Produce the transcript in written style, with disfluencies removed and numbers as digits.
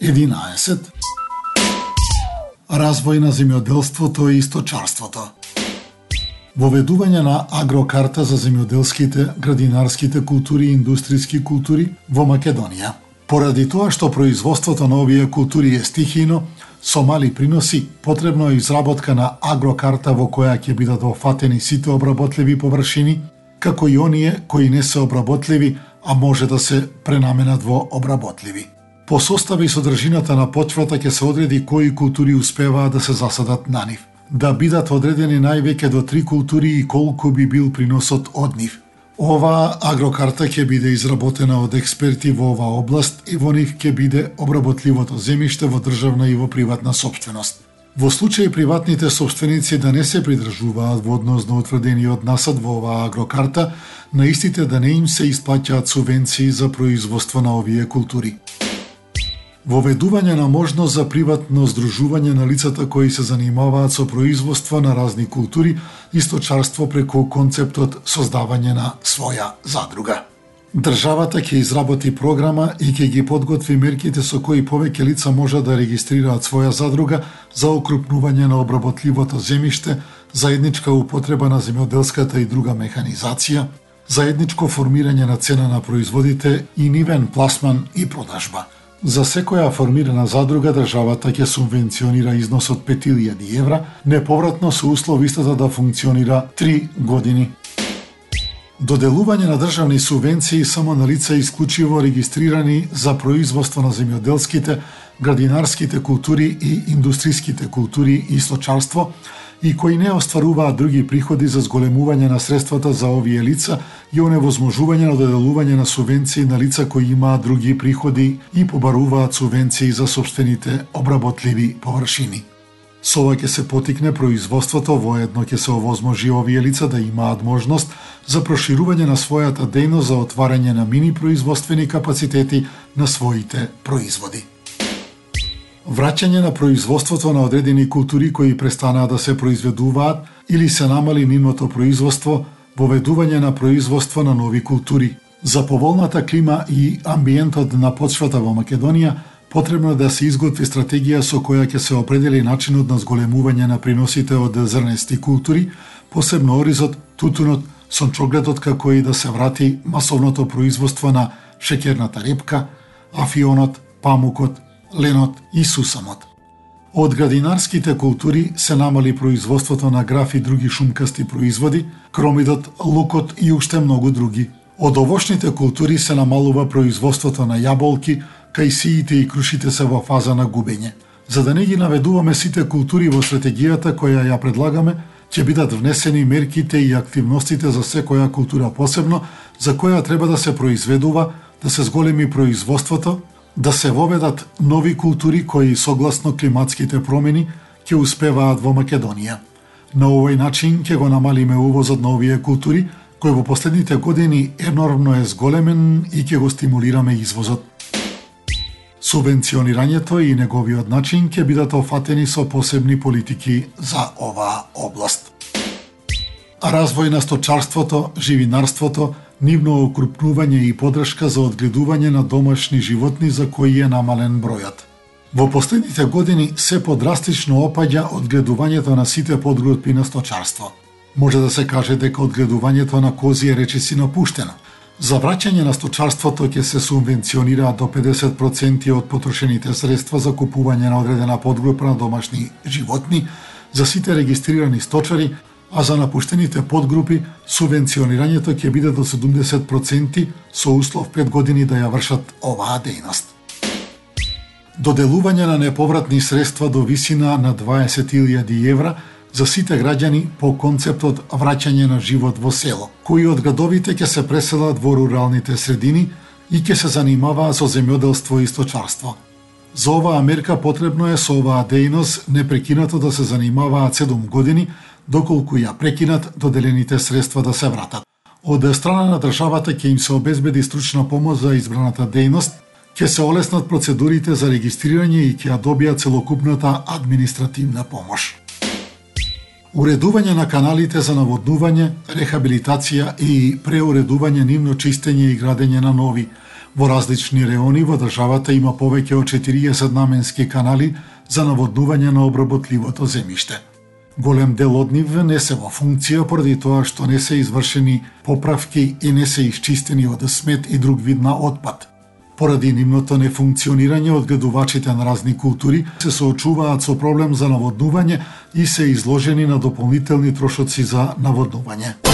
11. Развој на земјоделството и сточарството. Воведување на агрокарта за земјоделските, градинарските култури и индустријски култури во Македонија. Поради тоа што производството на овие култури е стихијно, со мали приноси, потребно е изработка на агрокарта во која ќе бидат офатени сите обработливи површини, како и оние кои не се обработливи, а може да се пренаменат во обработливи. По состава и содржината на почвата ќе се одреди кои култури успеваат да се засадат на нив. Да бидат одредени највеќе до 3 култури и колку би бил приносот од нив. Оваа агрокарта ќе биде изработена од експерти во оваа област и во нив ќе биде обработливото земјиште во државна и во приватна сопственост. Во случај приватните сопственици да не се придржуваат во однос на утврдениот насад во оваа агрокарта, на истите да не им се исплаќаат субвенции за производство на овие култури. Воведување на можност за приватно здружување на лицата кои се занимаваат со производство на разни култури и сточарство преку концептот создавање на своја задруга. Државата ќе изработи програма и ќе ги подготви мерките со кои повеќе лица може да регистрираат своја задруга за окрупнување на обработливото земјиште, заедничка употреба на земјоделската и друга механизација, заедничко формирање на цена на производите и нивен пласман и продажба. За секоја формирана задруга државата ќе субвенционира износ од 5000 евра, неповратно со услов истата да функционира 3 години. Доделување на државни субвенции само на лица исклучиво регистрирани за производство на земјоделските, градинарските култури и индустријските култури и сточарство и кои не остваруваат други приходи за зголемување на средствата за овие лица и оневозможување на доделување на субвенции на лица кои имаат други приходи и побаруваат субвенции за сопствените обработливи површини. Со ова ќе се потикне производството, воедно ќе се овозможи овие лица да имаат можност за проширување на својата дејност за отварање на мини производствени капацитети на своите производи. Враќање на производството на одредени култури кои престанаа да се произведуваат или се намали нивното производство, воведување на производство на нови култури. За поволната клима и амбиентот на почвата во Македонија, потребно е да се изготви стратегија со која ќе се определи начинот на зголемување на приносите од зрнести култури, посебно оризот, тутунот, сончогледот, како и да се врати масовното производство на шеќерната репка, афионот, памукот, ленот и сусамот. Од градинарските култури се намали производството на граф и други шумкасти производи, кромидот, лукот и уште многу други. Од овошните култури се намалува производството на јаболки, кајсиите и крушите се во фаза на губење. За да не ги наведуваме сите култури во стратегијата која ја предлагаме, ќе бидат внесени мерките и активностите за секоја култура посебно, за која треба да се произведува, да се зголеми производството, да се воведат нови култури кои согласно климатските промени ќе успеваат во Македонија. На овој начин ќе го намалиме увозот на овие култури, кој во последните години енормно е зголемен и ќе го стимулираме извозот. Субвенционирањето и неговиот начин ќе бидат офатени со посебни политики за оваа област. Развој на сточарството, живинарството, нивно окрупнување и подршка за одгледување на домашни животни за кои е намален бројот. Во последните години се подрастично опаѓа одгледувањето на сите подгрупи на сточарство. Може да се каже дека одгледувањето на кози е речиси напуштено. За враќање на сточарството ќе се субвенционира до 50% од потрошените средства за купување на одредена подгрупа на домашни животни за сите регистрирани сточари, а за напуштените подгрупи субвенционирањето ќе биде до 70% со услов 5 години да ја вршат оваа дејност. Доделување на неповратни средства до висина на 20.000 евра за сите граѓани по концептот враќање на живот во село, кои од градовите ќе се преселат во руралните средини и ќе се занимаваат со земјоделство и сточарство. За оваа мерка потребно е со оваа дејност непрекинато да се занимаваат 7 години, доколку ја прекинат доделените средства да се вратат. Од страна на државата ќе им се обезбеди стручна помош за избраната дејност, ќе се олеснат процедурите за регистрирање и ќе ја добијат целокупната административна помош. Уредување на каналите за наводнување, рехабилитација и преуредување нивно чистење и градење на нови, Во различни реони во државата има повеќе од 40 наменски канали за наводнување на обработливото земјиште. Голем дел од нив не се во функција поради тоа што не се извршени поправки и не се исчистени од смет и друг вид на отпад. Поради нивното нефункционирање, одгледувачите на разни култури се соочуваат со проблем за наводнување и се изложени на дополнителни трошоци за наводнување.